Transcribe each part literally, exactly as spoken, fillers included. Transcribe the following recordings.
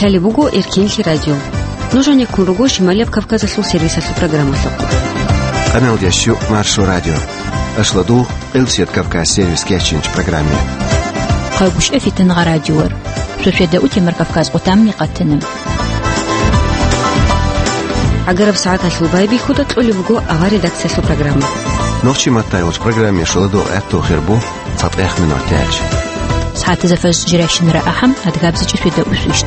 Лъалеб буго Эркенлъи радио. Нуж гьанеккун руго Шималияб Кавказалъул сервисалъул программалъухъ. Къаналдияс щу Маршо радио. Ашлу дугъ Къилсият Кавказ сервис кечинч программе. Хъайгъушев Фитангъа радиор. Шошеда утемар Кавказ къутамни къатана. Агараб сагӀаталъул байбихьуда кьолеб буго авар редакциялъул программа. Нохчи маттайгъуч программе шуладугъ гӀатту хирбу. ЦатӀех минутач. СагӀатазда фажр жирайщинара ахӀам, адгабзичӀи шуйда усвищт.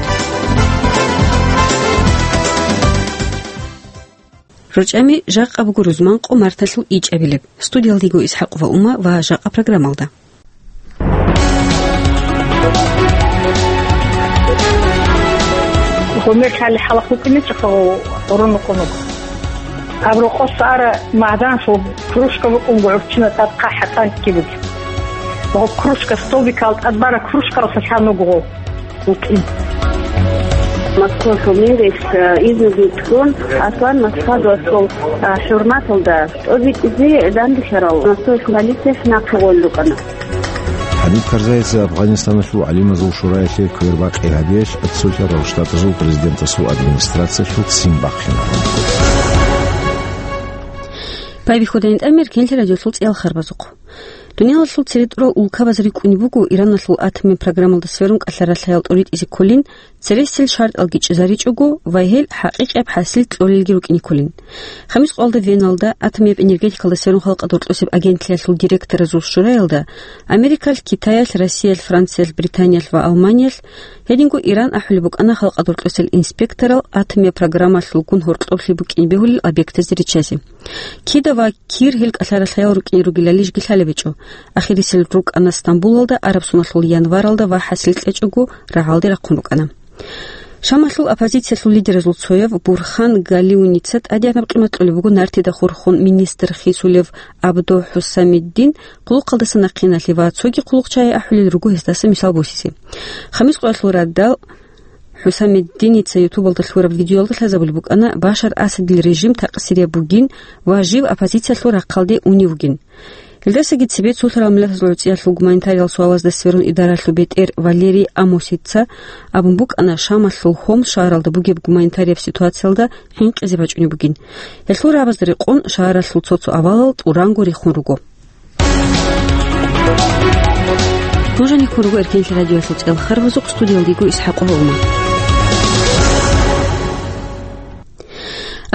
РучӀами жакъа буго рузман къо марталъул ичӀабилеб. Студиялдего Исхакъова Ума ва жакъа программалда. Гъумер лъали хӀалахъ букӀинчӀо гъурун рукъунуг. Гьаб рокъоса ара магьданлъул кружка букӀун гӀурччина тӀад хъахӀа танки буго. Гъоб кружка столбикал тӀад бара кружкалъа лъан вуго гъов вукӀин. Москвалъул мэрилъ, э, изнуги тун, Аслан Масхадовасул, э, хӀурматалда тӀобитӀизе данделъарал Москвалъ полицияс нахъе гъолел рукӀана. ХӀабиб Карзайица Афганистаналъул гӀалимазул шураялъе квербакъи гьабиялъ Цолъарал Штатазул президентасул администрациялъул ццин бахъина. Байбихьудайин тӀамер Эркенлъи радиолъул цӀиял харбазухъ. Дуниялалъул цере тӀурал улкабаз рикӀкӀунеб буго Ираналъул атомияб программалда сверун кӀалъарал лъаял тӀоритӀизе кколин, цересел шартӀалги чӀезаричӀого ва гьел хӀакъикъияб хӀасил кьолелги рукӀине кколин. Хамис къоялда Веналда атомияб энергетикалда сверун халкъа доркьосеб агентлъиялъул директоразул шураялда Америкалъ, Китаялъ, Россиялъ, Франциялъ, Британиялъ ва Алманиялъ, гьединго Иран ахӀулеб букӀана халкъа доркьосел инспекторал атомияб программалъулгун гьоркьоблъи букӀин бегьулел объектазде риччазе. Кида ва кир гьел кӀалъарал лъаял рукӀине ругелалищ лъалеб гьечӀо. Ахирисел рукӀана Стамбулалда, араб соналъул январалда ва хӀасил кьечӀого рагӀалде рахъун рукӀана. Шамалъул оппозициялъул лидеразул цояв Бурхан Галиуница тӀадегӀанаб къимат кьолеб буго нартида хурхун министр хисулев Абдо ХӀусамиддин, къулухъалдаса нахъиналъе ва цоги къулухъчагӀи ахӀулел руго гьесдаса мисал босизе. Хамис къоялъул радал ХӀусамиддиница ютубалда лъураб видеоялда лъазабулеб букӀана Башар Асадил режим такъсирияб бугин ва жив оппозициялъул рахъалде унев вугин. Гьелдасаги цебе цолъарал миллатазул гӀуцӀиялъул гуманитариялъул суалазда сверун идаралъул бетӀер Валерий Амосица абун букӀана Шамалъул Хомс шагьаралда бугеб гуманитарияб ситуациялда хӀинкъизе бачӀунеб бугин. Гьелъул рагӀабазда рекъон шагьаралъул цо-цо авалал тӀуранго рехун руго. Нуж гьанеккун руго Эркенлъи радиоялъул цӀиял харбазухъ, студиялдего Исхакъова Ума.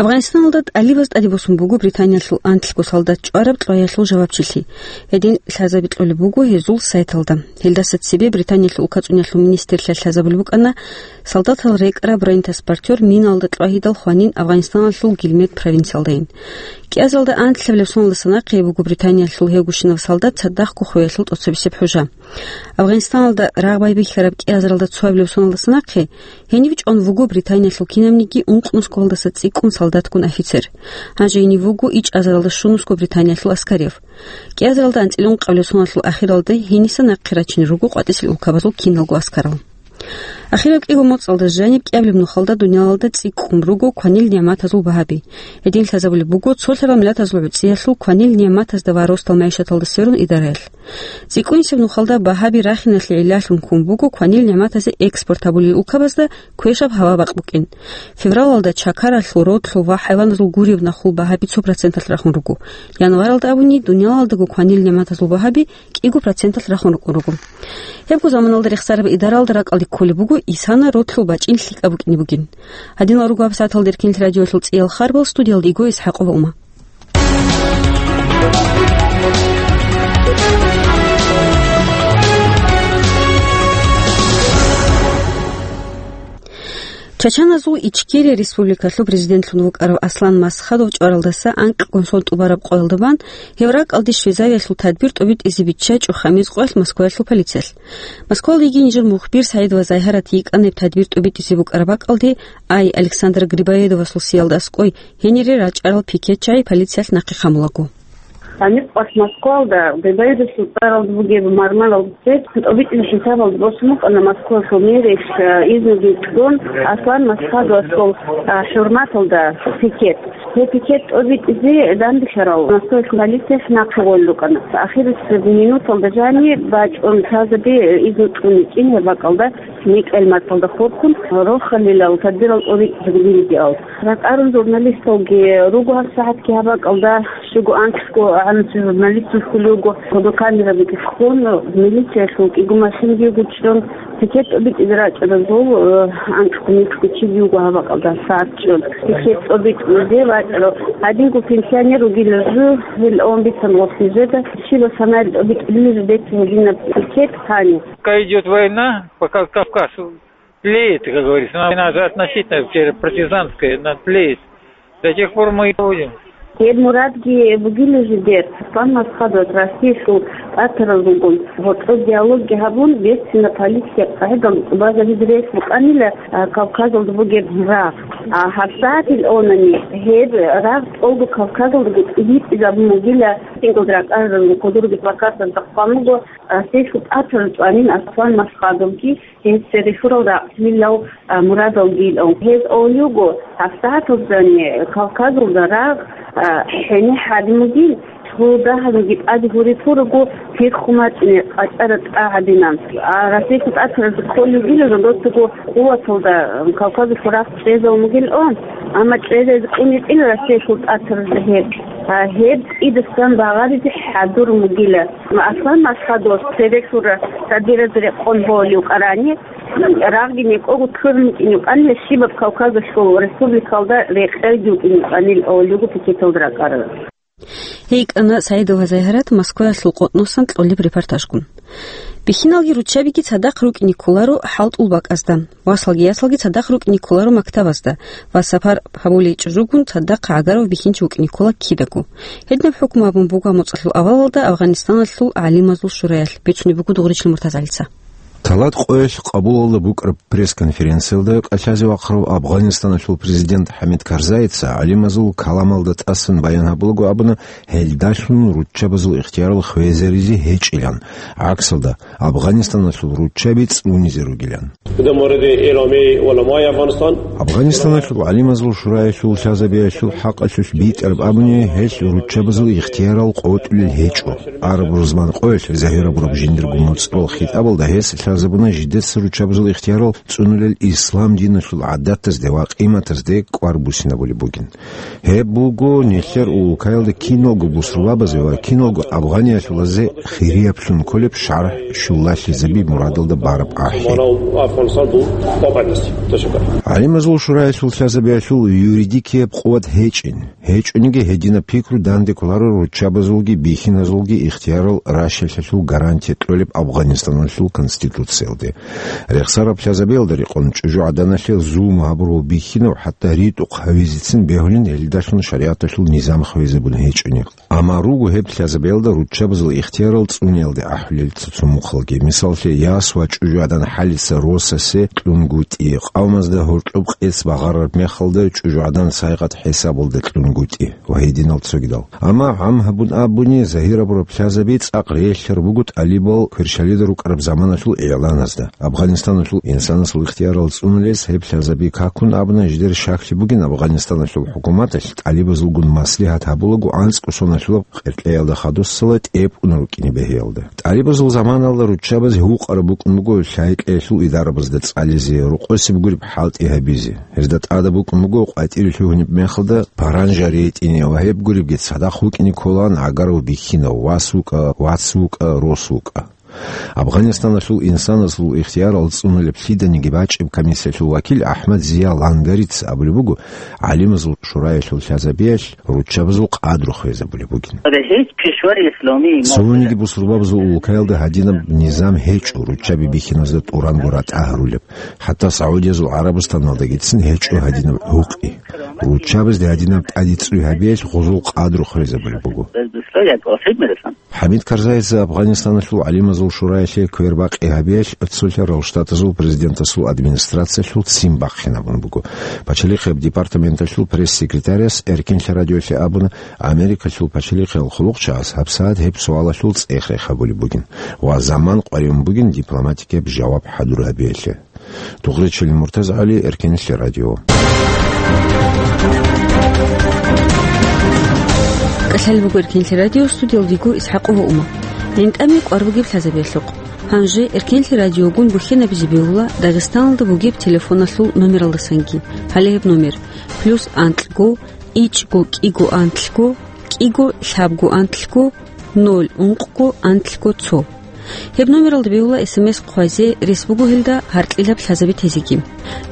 Афганистаналда тӀалибаз тӀаде босун буго Британиялъул анлъго солдат чӀвараб кьваялъул жавабчилъи. Гьедин лъазаби кьолеб буго гьезул сайталда. Гьелдаса цебе Британиялъул улкацӀуниялъул министрлъиялъ лъазабулеб букӀана солдатал рекӀараб бронетранспортер миналда кьвагьидал хванин Афганистаналъул Гилмет провинциялдайин. КӀиазалда анлъабилеб соналдаса нахъе буго Британиялъул гьевгощинав солдат цадахъго хвеялъул тӀоцебесеб хӀужа. Афганистаналда рагъ байбихьараб кӀиазаралда цоабилеб соналдаса нахъе гьенив чӀван вуго Британиялъул кинабниги ункънусгоялдаса цӀикӀкӀун солдатгун офицер. Гьанже гьенив вуго ичӀазаралда щунусго Британиялъул аскарив. КӀиазаралда анцӀила ункъабилеб соналъул ахиралда гьениса нахъе рачинел руго къватӀисел улкабазул киналго аскарал. Ахираб кӀиго моцӀалда жаниб кӀиабилеб нухалда дуниялалда цӀикӀкӀун руго кванил нигӀматазул багьаби. Гьедин лъазабулеб буго цолъарал миллатазул гӀуцӀиялъул кванил нигӀматазда ва росдал магӀишаталда сверун идараялъ. ЦӀикӀкӀунисеб нухалда багьаби рахиналъе гӀиллалъун ккун буго кванил нигӀматазе экспорт гьабулел улкабазда квешаб гьава-бакъ букӀин. Февралалда чакаралъул, родлъул ва хӀайваназул гуреб нахул багьаби цо проценталъ рахун руго. Январалда абуни дуниялалдаго кванил нигӀматазул багьаби кӀиго проценталъ рахун рукӀун руго. Гьебго заманалда рехсараб идаралда ракӀалде кколеб буго исана родлъул бачӀин лъикӀаб букӀине бугин. Гьадинал руго гьабсагӀаталда Эркенлъи радиоялъул цӀиял харбал, студиялда йиго Исхакъова Ума. Чачаназул Ичкерия республикалъул президентлъун вукӀарав Аслан Масхадов чӀваралдаса анкьгун сон тӀубараб къоялда бан гьев ракӀалде щвезавиялъул тадбир тӀобитӀизе биччачӀо хамиз къоялъ Москваялъул полициялъ. Москвалда йигин жир мухбир СагӀид ва Загьарат йикӀана гьеб тадбир тӀобитӀизе букӀараб бакӀалде, ай, Александр Грибоедовасул сиялда аскӀой гьенире рачӀарал пикетчагӀи полициялъ нахъе хъамулаго. Гьаниб къват Москвалда Бебайдасул цӀаралда бугеб мармаралда цеб тӀобитӀил хӀисабалда босун букӀана Москвалъул мэрияс, э, изнуги кьун Аслан Масхадовасул, э, хӀурматалда пикет. Гьеб пикет тӀобитӀизе данделъарал Москвалъул полицияс нахъе гъолел рукӀана. Ахирисеб минуталда жани бачӀун лъазаби, э, изну кьун ичӀин гьеб бакӀалда, микьал мацӀалда хурхун, рохалилал тадбирал тӀоритӀизаб гьабилеб диал. Ракъарун журналисталги руго гьабсагӀатги гьаб бакӀалда, щуго анкьго гӀанасеб журналисталъ хьулев вуго, фотокамерабиги хун, милициялъул кӀиго машинаги гучӀун, пикет тӀобитӀизе рачӀаразул, э, анкьго-микьго чиги вуго гьаб бакӀалда сагӀат чӀун. Пикет тӀобитӀизе вачӀарав гьадинго пенсионер вугила жо, гьел аван бицан гъорлъ нижеда, щибаб санаяб тӀобитӀулел жо деци гьединаб пикет гьани. Пока идёт война, пока Кавказ тлеет, как говорится. Она же относительно теперь партизанская, она тлеет. До тех пор мы и будем. Гьеб мурадги бугила жидер, Аслан Масхадов Россиялъул тӀатарал ругун, гьоркьоб диалогги гьабун, бецина политикияб къагӀидал базабизе рес букӀанила, а, Кавказалда бугеб рагъ. А гьабсагӀатил онани гьеб рагъ тӀолго Кавказалдаго тӀибитӀизабун бугила, сингал ракӀарарал кодурги плакатазда хъван буго, Россиялъул тӀатарал чӀванин Аслан Масхадовги, гьес цере лъурал ракълъилал, а, мурадалги илан. Гьез авлуго, гьабсагӀаталдани Кавказалда рагъ, а, хӀенехӀ гьадин бугин, цо дагьабги тӀаде гьури туруго, пиххун бачӀине къачӀара тӀа гьадинан. А Россиялъул тӀатаразда кколеб бугила жодоцаго къуваталда Кавказалъул рагъ чӀезавун бугилан, амма чӀезазе кӀун гьечӀила Россиялъул тӀатаразда гьеб. А гьеб кӀидасан багъаризе хӀадурун бугила. Аслан Масхадовас цере лъура тадбираз рекъон гьолев кӀарани, рагъги некӀого ккурун букӀин юкъанила щибаб Кавказалъул республикалда рекъелги вукӀин юкъанил авлуго пикеталда ракӀарал. ГьейкӀана СагӀидова Загьират Москваялъул къотӀносан кьолеб репортажгун. Бихьиналги руччабиги цадахъ рукӀине кколаро хӀалтӀул бакӀазда, васалги ясалги цадахъ рукӀине кколаро мактабазда ва сапар гьабулей чӀужугун цадахъ гӀагарав бихьинчи вукӀине ккола кидаго. Гьединаб хӀукму гьабун буго моцӀалъул авалалда Афганистаналъул гӀалимазул шураялъ, бицунеб буго Дугъричил МуртазагӀалица. Талат къоялъ Къабулалда букӀараб пресс-конференциялда кӀалъазе вахъарав Афганистаналъул президент ХӀамид Карзайица гӀалимазул каламалда тӀасан баян гьабулаго абуна, гьелдалъун руччабазул ихтиярал хвезаризе гьечӀилан, гӀаксалда, Афганистаналъул руччаби цӀунизе ругилан. در مورد اعلامیهٔ علمای افغانستان. Афганистаналъул гӀалимазул шураялъул лъазабиялъул хӀакъалъулъ битӀараб абуни, гьелъ руччабазул ихтиярал къотӀулел гьечӀо. Араб рузман къоялъ загьир гьабураб жиндирго моцӀрол хитӀабалда гьес лъазабуна жидеца руччабазул ихтиярал цӀунулел ислам диналъул гӀадатазде ва къиматазде кӀвар буссинабулеб бугин. Гьеб буго нилъер улкаялда киналго бусурбабазе ва киналго афганиялъулазе хирияблъун кколеб шаргӀ щулалъизаби мурадалда бараб ахӀи. ГӀалимазул шураялъул лъазабиялъул юридикияб къуват гьечӀин. ГьечӀониги гьединаб пикру данде кколаро руччабазулги бихьиназулги ихтиярал ращалъалъул гарантия кьолеб Афганистаналъул конституциялде. Рехсараб лъазабиялда рекъон чӀужугӀаданалъе зулму гьабурав бихьинав хӀатта ритӀухъ гьавизецин бегьулин гьелдалъун шаригӀаталъул низам хвезабун гьечӀони. Амма руго гьеб лъазабиялда руччабазул ихтиярал цӀуниялде ахӀулел цо-цо мухъалги. Мисаллъе, яс ва чӀужугӀадан хӀалица росасе кьунгутӀи, къавмазда гьоркьоб къец багъарараб мехалда чӀужугӀадан сайгъат хӀисабалда кьунгутӀи ва гьединал цогидал. Амма гӀам гьабун абуни, загьир гьабураб лъазаби цӀакъ релълъараб буго тӀалибал кверщалида рукӀараб заманалъул игӀланазда. Афганистаналъул инсанасул ихтиярал цӀунулес гьеб лъазаби какун абуна, жидер щаклъи бугин Афганистаналъул хӀукуматалъ тӀалибазулгун маслигьат гьабулаго анцӀго соналъулаб къеркьеялда хадусала тӀепӀун рукӀине бегьиялда. ТӀалибазул заманалда руччабаз гьукъараб букӀун буго лъай-кьеялъул идарабазда цӀализе, рокъосеб гуреб хӀалтӀи гьабизе. Гьезда тӀадаб букӀун буго къватӀире лъугьунеб мехалда паранжа ретӀине ва гьеб гуребги цадахъ вукӀине кколаан гӀагарав бихьинав, вас вукӀа, вац вукӀа, рос вукӀа. Афганистаналъул инсанасул ихтиярал цӀунулеб лъиданиги бачӀеб комиссиялъул вакил АхӀмад Зия Лангарица абулеб буго, гӀалимазул шураялъул лъазабиялъ руччабазул къадру хвезабулеб бугин. Цониги бусурбабазул улкаялда гьадинаб низам гьечӀо, руччаби бихьиназда тӀуранго ратӀа гьарулеб. ХӀатта Саудиязул ГӀарабустаналдагицин гьечӀо гьадинаб гьукъи. Руччабазде гьадинаб тӀаде цӀуй гьабиялъ гъузул къадру хвезабулеб буго. Гьабиз условия плохие были там. ХӀамид Карзаидзе Афганистаналъул гӀалимазул шураялъе квербакъи гьабиялъ цолъарал штатазул президентасул администрациялъул ццин бахъинабун буго. Пачалихъияб департаменталъул пресс-секретаряс Эркинлъи радиолъе абуна, Америкалъул пачалихъиял хъулухъчагӀаз гьабсагӀат гьеб суалалъул цӀех-рех гьабулеб бугин ва заман къваригӀун бугин дипломатикияб жаваб хӀадур гьабиялъе. Дугъричилин МуртазагӀали, Эркинлъи радио. КӀалъалеб буго Эркинлъи радио, студиялдего ИсхӀакъова Ума. ГӀинтӀаме кӀвар бугеб лъазабиялъухъ. Гьанже Эркинлъи радиогун бухьинабизе бегьула Дагъистаналда бугеб телефоналъул номералдасанги. Гьале гьеб номер: плюс анкьго, ичӀго кӀиго анлъго, кӀиго лъабго анлъго, ноль ункъго анлъго цо. Гьеб номералда бегьула СМС хъвазе, рес буго гьелда гьаркьилаб лъазаби тезеги.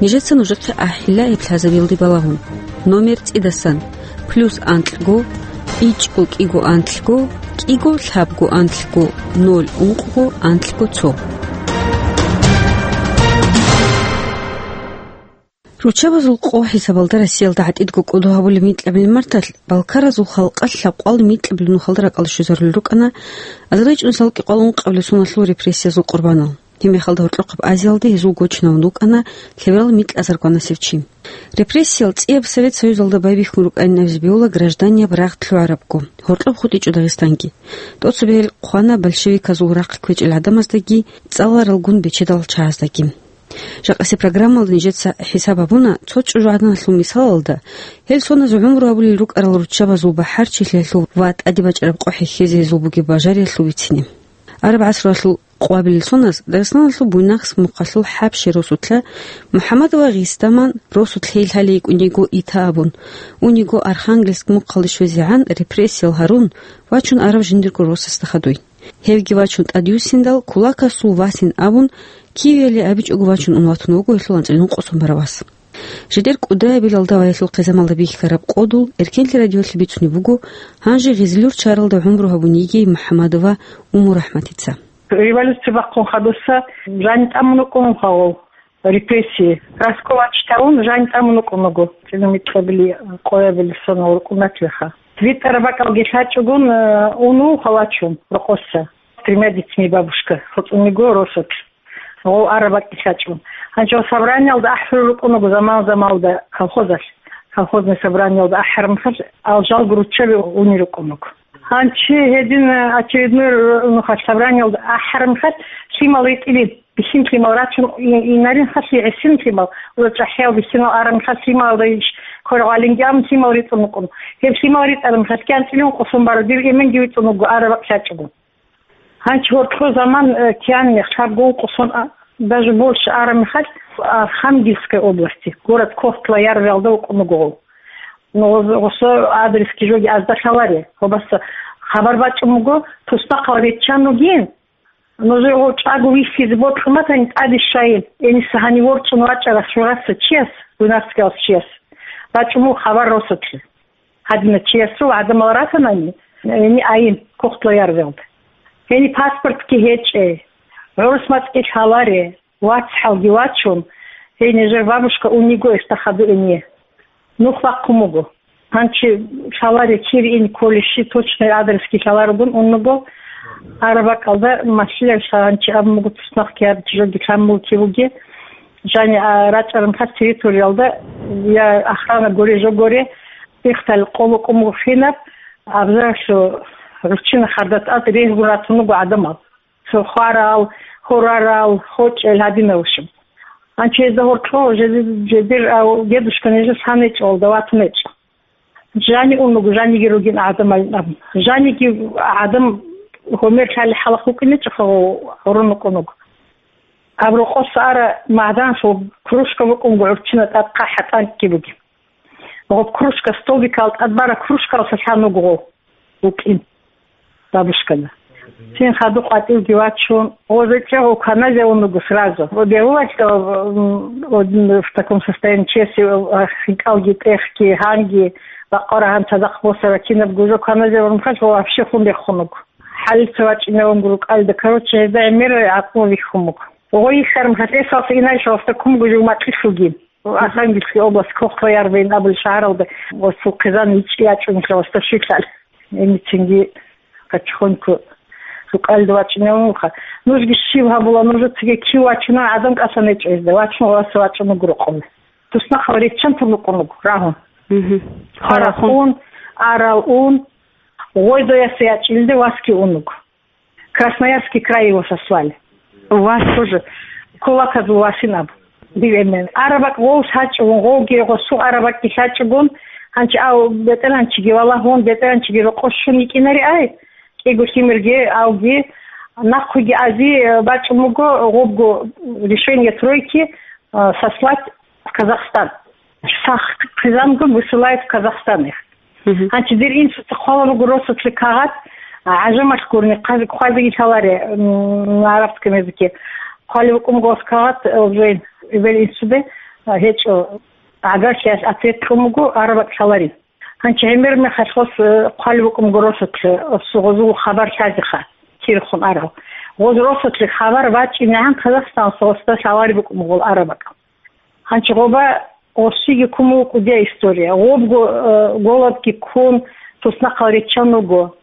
Нижеца нужехъе ахӀила гьеб лъазабиялде балагьун. Номер цӀидасан: плюс анкьго, ичӀго кӀиго анлъго, кӀиго лъабго анлъго, ноль ункъго анлъго цо. Руччабазул къо хӀисабалда Россиялда гӀатӀидго кӀодо гьабулеб микьабилеб марталъ, балкаразул халкъалъ лъабкъоялда микьабилеб нухалда ракӀалде щвезарулел рукӀана азарилчӀун салкӀи къвал ункъабилеб соналъул репрессиязул къурбанал. Гьеб мехалда гьоркьохъеб Азиялде гьезул гочинавун вукӀана лъеберал микьазаргванасев чи. Репрессиял цӀияб Совет Союзалда байбихьун рукӀайин абизе бегьула гражданияб рагъ лъугӀарабго, гьоркьоб хутӀичӀо Дагъистанги. ТӀоцебе гьел хъвана большевиказул рахъ кквечӀел гӀадамаздаги, цӀаларалгун бечедал чагӀаздаги. Жакъасеб программалда нижеца хӀисаб гьабуна цо чӀужугӀаданалъул мисалалда, гьел соназе гӀумру гьабулел рукӀарал руччабазул бахӀарчилъиялъул ва тӀаде бачӀараб къо хӀехьезе гьезул бугеб бажариялъул бицине. Араб гӀасруялъул къвабилел соназ Дагъистаналъул Буйнакск мухъалъул ХӀабщи росулъа МухӀаммадова Гъисдаман росулъ гьей лъалей йикӀун йиго ита абун, ун йиго Архангельск мухъалде щвезегӀан репрессиял гьарун, вачун араб жиндирго росасда хадуй. Гьевги вачун тӀадвуссиндал, кулакасул васин абун, кивиялде абичӀого вачун ун ватун вуго гьелъул анцӀила ункъо сон бараб вас. Жидер кӀудиябилалда ва гьелъул хъизамалда бихьараб кӀодул Эркенлъи радиолъи бицунеб буго гьанже Гъизлюр чаралда гӀумру гьабун йигей МухӀаммадова Уммурахматица. Революция бахъун хадуса жаниб тӀамун вукӀун вуго гьав. Репрессии. Раскулачить гьавун, жаниб тӀамун вукӀун вуго. ЦӀинумикьабили, къоябили сонал рукӀунатвеха. ВитӀараб бакӀалги лъачӀогун, э, унув халачун рокъоса. С тремя детьми бабушка. ХоцӀун йиго росулъ. Гъов араб бакӀги лъачӀун. Гьанже гъов собраниялда ахӀулел рукӀун вуго заман-замалда колхозалъ. Колхозный собраниялда ахӀараб мехалъ, алжалго руччаби унел рукӀун вуго. Гьанчи гьедин, э, очередной, э, нухалъ собраниялда ахӀараб мехалъ, лъимал ритӀилин, бихьин лъимал рачун и-, инарин халъи гӀисин лъимал, ва чӀахӀиял бихьинал араб мехалъ лъималда иш квергъалинги абун лъимал ритӀун вукӀун. Гьеб лъимал ритӀараб мехалъ кӀанцӀилин къосун бараб дир эменги витӀун вуго араб бакӀ лъачӀого. Гьанчи гьоркьо заман, э, киян мех лъабго ункъо сон, а, даже больше араб мехалъ, Архангельская области, город Кохтла-Ярвелда вукӀун вуго гъов. Ну, гъос-, гъосо адресги жоги азда лъаларе. Гъобаса хабар бачӀун буго, туснахъал риччан вугин. Нужер гъов чӀаго вихьизе бокьун батани, тӀаде щвайин. Гьениса гьанив ворчӀун вачӀарас жураса чияс, гунарцгияс чияс. БачӀун буго хабар росулъе. Гьадина чиясул гӀадамал ратанани, гьени айин, Кохтла-Ярвелда. Гьени паспортги гьечӀей, гӀурус мацӀги лъаларе, вацгӀалги вачун, гьей нижер бабушка ун йиго гьесда хадур ине. Нух бахъун буго. Гьанчи лъаларе кир ин кколищи, точный адресги лъаларогун ун вуго. Араб бакӀалда малъилаби гьанчи абун буго, туснахъ кияр чижоги лъан буго кив буги. Жани, а, рачӀараб мехалъ территориялда я охрана горе жо горе, ихтал къо букӀун буго хинаб, абзаралъу гӀурччина хардат ат регьгун ратун руго гӀадамал. Цо хварал, хурарал, хочӀел гьадинав щиб. Гьанчи гьезда гьоркьо жеди-, жедир, а, дедушка нижес гьанечӀо, алда ватунечӀо. Жани ун вуго, жаниги ругин гӀадамалин абун. Жаниги гӀадам гьумер лъали хӀалахъ вукӀинечӀоха, гъурун вукӀун вуго. Гьаб рокъоса ара магӀданлъул кружка букӀун буго гӀурччина тӀад хъахӀа тӀанкӀги бугеб. Гъоб кружка, столбикал тӀад бара кружкалъа лъан вуго гъов вукӀин бабушкана. Цин хадуб къватӀивги вачун, гъозекӀа гъов каназе ун вуго сразу. Бегьулалъ, м, в таком состоянии чеси, а, хинкӀалги, тӀехги, гьанги, бакъвара гьан цадахъ босара кинаб гужо каназе ун вуго, вообще хун бехун вуго. ХӀалица вачӀинавун рукӀалда, короче, гьезда гӀемер гӀакълу вихьун буго. Гъой йихьараб мехалъ, эсалса инайшаласда ккун буго жугьмакьилъулги. Архангельская область, Кохтоярвейн абулеб шагьаралда, ва цо хъизан ичӀи ячӀунелъул васда щилъал. Гьениб цинги качхунку рукӀалда вачӀинев вуха. Нужги щиб гьабула, нужецаги кив вачунан гӀадан кӀасан гьечӀо гьезда, вачун гъоса вачӀун вуго рокъове. Туснахъал риччан тун рукъун вуго, рагьун. Мгм. Харахун. Харахун, арал ун, гъойдояса ячӀилде васги ун вуго. Красноярский край его сослали. Вас? Тоже кулаказул васин абу. Див эмен. Арабакь гъов лъачӀугун, гъовги гъосу арабакьги лъачӀугун, гьанчи ав бетӀеранчиги валагьун, бетӀеранчиги рокъо щун йикӀинари ай, кӀиго лъимерги авги, нахъуги ази, э, бачӀун буго, гъобго решение тройки, э, сослать в Казахстан. Сах хъизангун высылают в Казахстан их. Мгм. Гьанчи дир инсуца хъвала буго росулъе кагъат, а, гӀажамалъ гурни, хъази-, хъвазеги лъаларе, м, на арабском языке. Хъвали букӀун буго кагъат, э, уже эбел инсуде, а, гьечӀо, гӀагарлъиялъ ответ кьун буго, арабакь лъалари. Гьанчи гӀемер мехалъ гъос, э, хъвали букӀун буго росулъе, гъосул хабар лъазеха, кирхун арал. Гъоз росулъе хабар бачӀинегӀан Казахстаналъ гъосда лъалари букӀун буго арабакь. Гьанчи гъоба гъосиги ккун буго кӀудияй история. Гъобго, э, голодги ккун, туснахъал риччан вуго.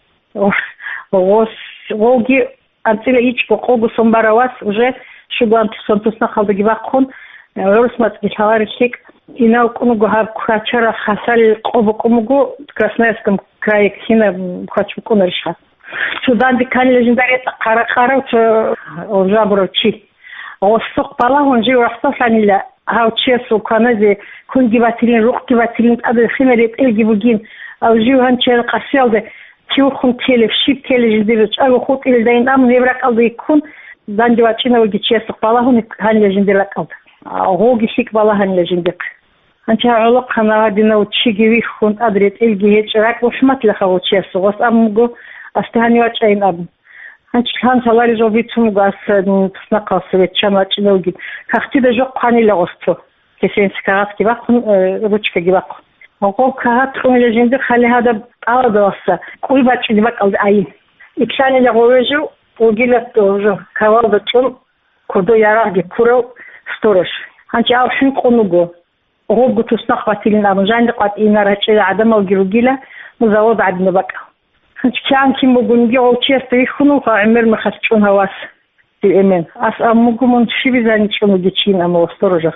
Гъос, гъовги анцӀила ичӀго къого сон барав вас уже щугоан тусан туснахъалдаги бахъун, э, гӀурус мацӀги лъаларел лъикӀ. Инал ккун вуго гьаб квачараб хасал къо букӀун буго Красноярском крае, кина квач букӀунарищха. Цо данде кканила жинда ретӀа хъара-хъарав, цо гъоб жабурав чи. Гъосухъ балагьун жив рахсалъанила, гьав чиясул кваназе кунги батилин, рукъги батилин, тӀаде хина ретӀелги бугин, ав жив гьанчиял къасиялда кивхун телеб, щиб телеб жиндир чӀаго хутӀилдайин, амма гьеб ракӀалда йиккун, данде вачӀинавги чиясухъ балагьун гьанила жиндир ракӀалда. А, гъоги лъикӀ балагьанила жиндихъ. Гьанчи гьав гӀолохъанав гьадинав чиги вихьун, тӀад ретӀелги гьечӀеб, ракӀ бухӀматлъаха гъов чиясул, гъос абун буго, асте гьанив вачӀайин абун. Гьанчи лъан лъалари жо бицун буго, ас, м, туснахъалъуса ваччан вачӀинавгин. Кагътида жо хъванила гъос цо. Кесенси кагъатги бахъун, э, ручкаги бахъун. Гъоб кагъат кьунила жинда хали гьадаб тӀалабалъа кӀуй бачӀине бакӀалда айин. Итлъанила гъове жив, вугила жо, кавалда чӀун, кодо ярагъги ккурав сторож. Гьанчи ав хӀинкъун вуго. Гъобго туснахъ батилин абун, жанир къватӀине рачӀила гӀадамалги ругила, ну, завод гӀадинаб бакӀал. Гьанчи кигӀан кин бугониги гъов чиясда вихьун вуха гӀемер мехалъ чӀун гьав вас, див эмен. Ас абун буго, мун щибизани чӀун вугев чийин, амма сторожас,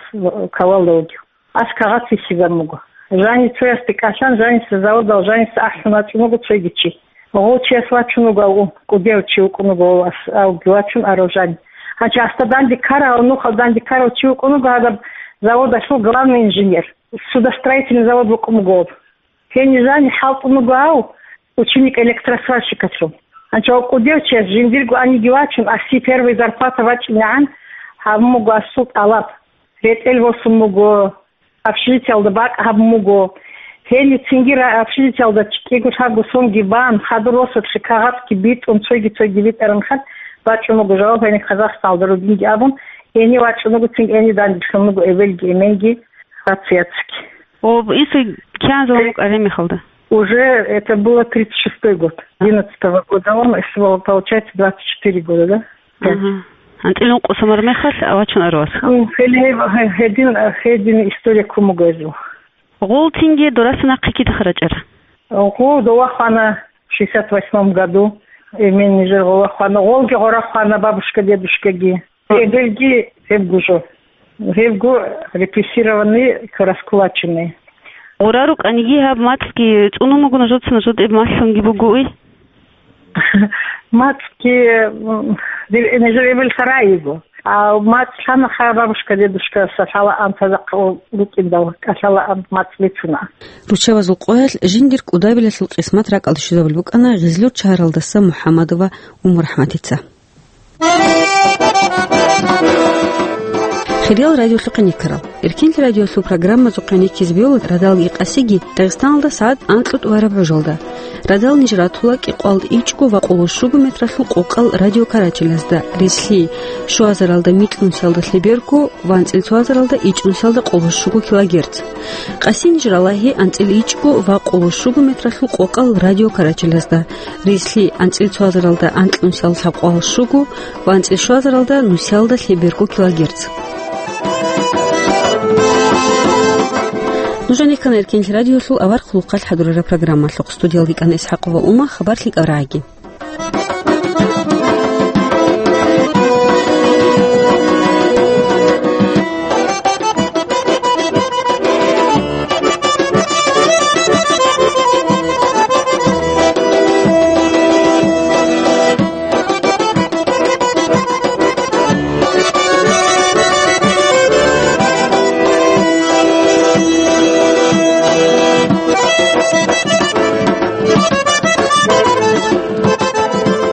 кавалда вугев. Ас кагъат вихьизабун буго. Жанив цоясде кӀалъан, жаниса заводал жаниса ахӀун вачӀун вуго цоги чи. Гъов чияс вачун вуго, ав кӀудияв чи вукӀун вуго, ав ас, авги вачун арав жани. Гьанчи асда данде ккарав, нухал данде ккарав чи вукӀун вуго гьадаб заводалъул главный инженер. Судостроительный завод вукӀун вуго ав. Гьенив жани хӀалтӀун вуго ав ученик электросварщикалъул. Гьанчи ав кӀудияв чияс жиндирго аниги вачун, аси первый зарплата бачӀинегӀан гьабун буго асул тӀалаб. РетӀел босун буго, общежитиялда бакӀ гьабун буго. Гьенив цинги ра-, общежитиялда кӀиго-лъабго сонги бан, хадур росулъе кагъатги битӀун, цойги-цойги битӀараб мехалъ бачӀун буго жаваб, гьениб Казахстаналда ругинги абун, гьенив вачӀун вуго, цинги гьенив данделъун вуго эбелги эменги, рацияцги. О, инсуе кигӀан заман букӀараб мехалда? Уже это было тридцать шестой год. Одиннадцатого года он, если было, получается, двадцать четыре года, да? Да. Ага. АнцӀила ункъо сон бараб мехалъ вачун арав вас? М, гьеле гьеб-, гье-, гьедин, гьедин история ккун буго гьезул. Гъов цинги дураса нахъе кидаха рачӀара? Гъов дова хвана в шестьдесят восьмом году. Эмен нижер гъова хвана. Гъовги гъора хвана, бабушка, дедушкаги. Эбелги гьебго жо. Гьебго репрессированный, раскулаченный. Гъора рукӀаниги гьаб мацӀги цӀунун буго нужеца, нужеда гьеб малъунги бугои? МацӀги, м, дир-, нижер эбел сарай йиго. А мацӀ лъанаха бабушка, дедушка, са лъала ан тазахъ рукӀиндал, кӀалъала ан мацӀ бицуна. Руччабазул къоялъ жиндир кӀудабилалъул къисмат ракӀалде щвезабулеб букӀана Гъизлур шагьаралдаса МухӀамадова УммурахӀматица. Хириял радиолъухъе никарал. Эркенлъи радиолъул программазухъе никизе бегьула радалги къасиги Дагъистаналда сагӀат анкьго тӀубараб гӀужалда. Радал ниж ратула кӀикъоялда ичӀго ва къоло щуго метралъул къокъал радиокарачелазда, рилълъи, щуазаралда микьнусиялда лъеберго ва анцӀила цоазаралда ичӀнусиялда къоло щуго килогерц. Къаси ниж ралагьи анцӀила ичӀго ва къоло щуго метралъул къокъал радиокарачелазда, рилълъи анцӀила цоазаралда анкьнусиялда лъабкъоялда щуго ва анцӀила щуазаралда нусиялда лъеберго килогерц. Нужеца ккана Эркенлъи радиолъул авар хъулухъалъ хӀадурараб программалъухъ. Студиялда ккана ИсхӀакъова Ума, хабар лъикӀал рагӀаги.